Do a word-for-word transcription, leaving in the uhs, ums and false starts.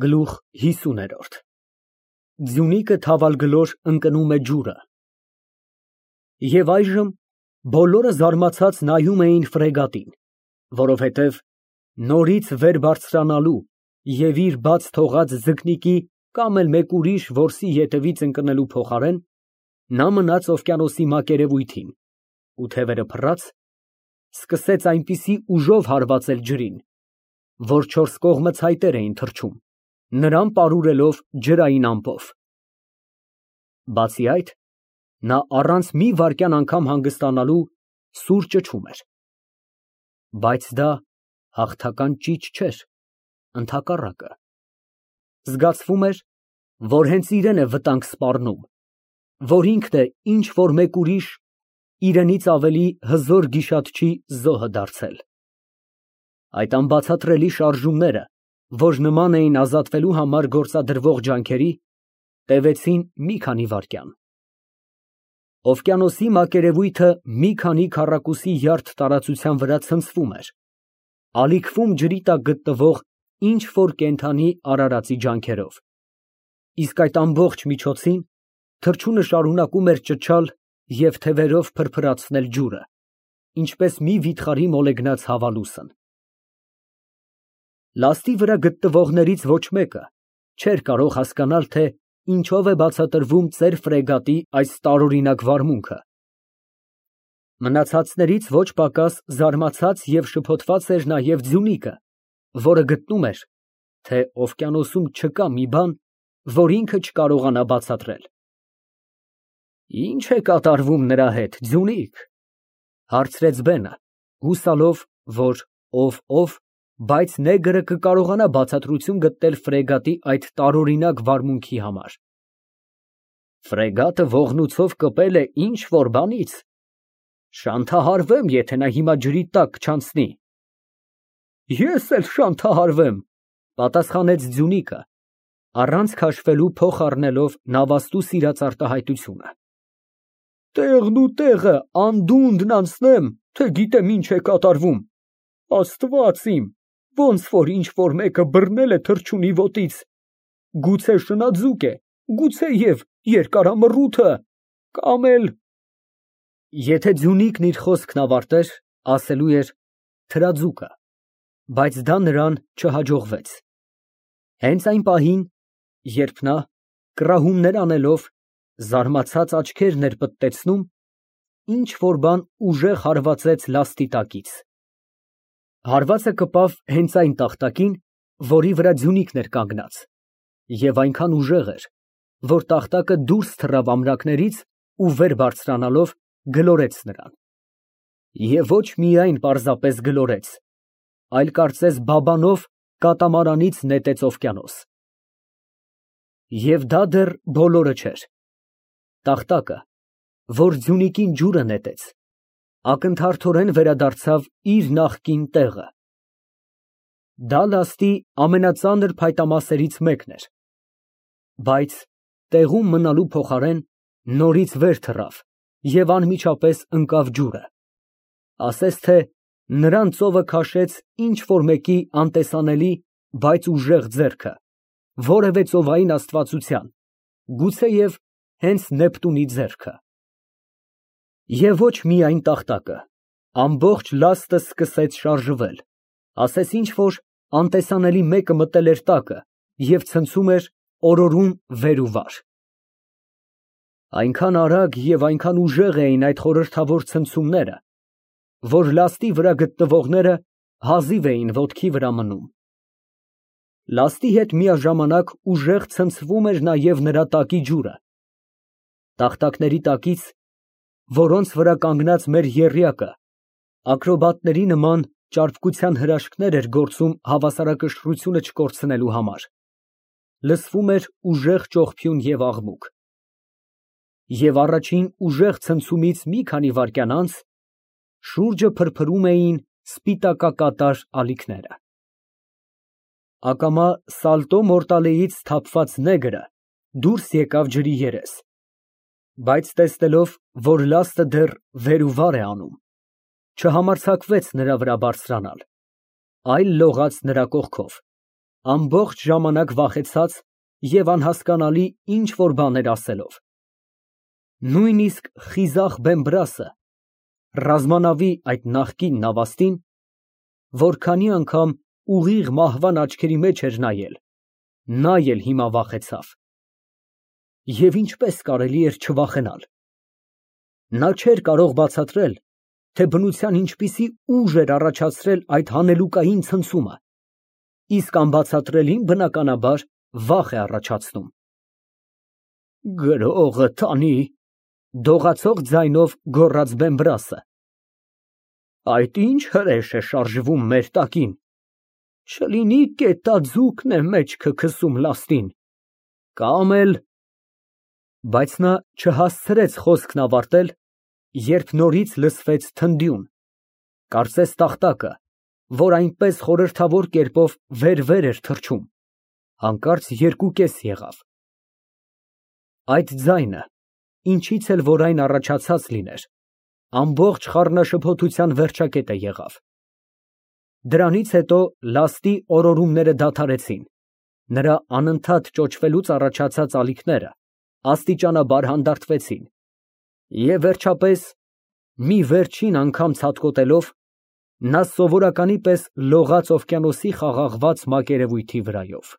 Գլուխ հիսուն Ձյունիկը թավալգլոր ընկնում է ջուրը։ Եվ այժմ բոլորը զարմացած նայում էին ֆրեգատին, որովհետև նորից վեր բարձրանալու և իր բաց թողած ձկնիկի կամ էլ մեկ ուրիշ որսի ետևից ընկնելու փոխարեն, նա մնաց օվկիանոսի մակերևույթին ու թևերը փռած, սկսեց այնպիսի ուժով հարվածել ջրին, որ չորս կողմը ցայտեր էին թռչում, նրան պարուրելով ջրային ամպով։ Բացի այդ, նա առանց մի վայրկյան անգամ հանգստանալու սուր ճչում էր։ Բայց դա հաղթական ճիչ չէր, ընդհակառակը, զգացվում էր, որ հենց իրան է վտանգ սպառնում, որ ինքն է ինչ որ մեկ ուրիշ, իրենից ավելի հզոր գիշատչի զոհը դարձել։ Այդ անբացատրելի շարժումները, որ նման էին ազատվելու համար գործադրվող ջանքերի, տևեցին մի քանի վայրկյան։ Օվկիանոսի մակերևույթը մի քանի քառակուսի յարդ տարածության վրա ցնցվում էր, ալիքվում ջրի տակ գտնվող ինչ որ կենդանի արարածի ջանքերով, իսկ այդ ամբողջ միջոցին թռչունը շարունակում էր ճչալ և թևերով փրփրացնել ջուրը, ինչպես մի վիթխարի մոլեգնած հավալուսն։ Լաստի վրա գտնվողներից ոչ մեկը չէր կարող հասկանալ, թե ինչով է բացատրվում ծեր ֆրեգատի այս տարօրինակ վարմունքը։ Մնացածներից ոչ պակաս զարմացած և շփոթված էր նաև Ձյունիկը, որը գտնում էր, թե օվկիանոսում չկա մի բան, որ ինքը չկարողանա բացատրել։ Ի՞նչ է կատարվում նրա հետ, Ձյունիկ, ֊ հարցրեց բենը, հուսալով, որ ով ով, բայց նեգրը կկարողանա բացատրություն գտնել ֆրեգատի այդ տարօրինակ վարմունքի համար։ Ֆրեգատը ողնուցով կպել է ինչ որ բանից, շանթահարվեմ, եթե նա հիմա ջրի տակ չանցնի։ Ես էլ շանթահարվեմ, ֊ պատասխանեց Ձյունիկը, առանց քաշվելու փող առնելով նավաստու սիրած արտահայտությունը։ Տեղն ու տեղը անդունդն անցնեմ, թե գիտեմ ինչ է կատարվում, Աստված իմ, ոնց որ ինչ որ մեկը բռնել է թռչունի ոտից, գուցե շնաձուկ է, գուցեև երկարամռութը, կամ էլ… Եթե Ձյունիկն իր խոսքն ավարտեր, ասելու էր թրաձուկը, բայց դա նրան չհաջողվեց։ Հենց այն պահին, երբ նա, կռահումներ անելով, զարմացած աչքերն էր պտտեցնում, ինչ որ բան ուժեղ հարվածեց լաստի տակից։ Հարվածը կպավ հենց այն տախտակին, որի վրա Ձյունիկն էր կանգնած, և այնքան ուժեղ էր, որ տախտակը դուրս թռավ ամրակներից ու վեր բարձրանալով գլորեց նրան։ Եվ ոչ միայն պարզապես գլորեց, այլ կարծես բաբանով կատամարանից նետեց օվկիանոս։ Եվ դա դեռ բոլորը չէր։ Տախտակը, որ Ձյունիկին ջուրը նետեց, ակնթարթորեն վերադարձավ իր նախկին տեղը։ Դա լաստի ամենածանր փայտամասերից մեկն էր, բայց տեղում մնալու փոխարեն նորից վեր թռավ և անմիջապես ընկավ ջուրը, ասես թե նրան ծովը քաշեց ինչ որ մեկի անտեսանելի, բայց ուժեղ ձեռքը, որևէ ծովային աստվածության, գուցեև հենց Նեպտունի ձեռքը։ Եվ ոչ միայն տախտակը, ամբողջ լաստը սկսեց շարժվել, ասես ինչ որ անտեսանելի մեկը մտել էր տակը և ցնցում էր, օրորում վեր ու վար։ Այնքան արագ և այնքան ուժեղ էին այդ խորհրդավոր ցնցումները, որ լաստի վրա գտնվողները հազիվ էին ոտքի վրա մնում։ Լաստի հետ միաժամանակ ուժեղ ցնցվում էր նաև նրա տակի ջուրը։ Տախտակների տակից, որոնց վրա կանգնած մեր եռյակը ակրոբատների նման ճարպկության հրաշքներ էր գործում հավասարակշռությունը չկորցնելու համար, լսվում էր ուժեղ ճողփյուն և աղմուկ։ Եվ առաջին ուժեղ ցնցումից մի քանի վայրկյան անց շուրջը փրփրում էին սպիտակակատար ալիքները։ Ակամա սալտո մորտալեից սթափված նեգրը դուրս եկավ ջրի երես, բայց տեսնելով, որ լաստը դեռ վեր ու վար է անում, չհամարձակվեց նրա վրա բարձրանալ, այլ լողաց նրա կողքով, Ամբողջ ժամանակ վախեցած և անհասկանալի ինչ֊որ բաներ ասելով։ Նույնիսկ խիզախ Բեմբրասը, ռազմանավի այդ նախկին նավաստին, որ քանի անգամ ուղիղ մահվան աչքերի մեջ էր նայել, նա էլ հիմա վախեցավ։ Եվ ինչպես կարելի էր չվախենալ։ Նա չէր կարող բացատրել, թե բնության ինչպիսի ուժ էր առաջացրել այդ հանելուկային ցնցումը, իսկ անբացատրելին, բնականաբար, վախ է առաջացնում։ Գրողը տանի, դողացող ձայնով գոռաց Բեմբրասը։ Այդ ինչ հրեշ է շարժվում մեր տակին, չլինի կետաձուկն է մեջքը քսում լաստին, կամ էլ… Բայց նա չհասցրեց խոսքն ավարտել, երբ նորից լսվեց թնդյուն, կարծես տախտակը, որ այնպես խորհրդավոր կերպով վեր֊վեր էր թռչում, հանկարծ երկուկես եղավ։ Այդ ձայնը, ինչից էլ որ այն առաջացած լիներ, ամբողջ խառնաշփոթության վերջակետը եղավ։ Դրանից հետո լաստի օրորումները դադարեցին, նրա անընդհատ ճոճվելուց առաջացած ալիքները աստիճանաբար հանդարտվեցին, և վերջապես, մի վերջին անգամ ցատկոտելով, նա սովորականի պես լողաց օվկիանոսի խաղաղված մակերևույթի վրայով։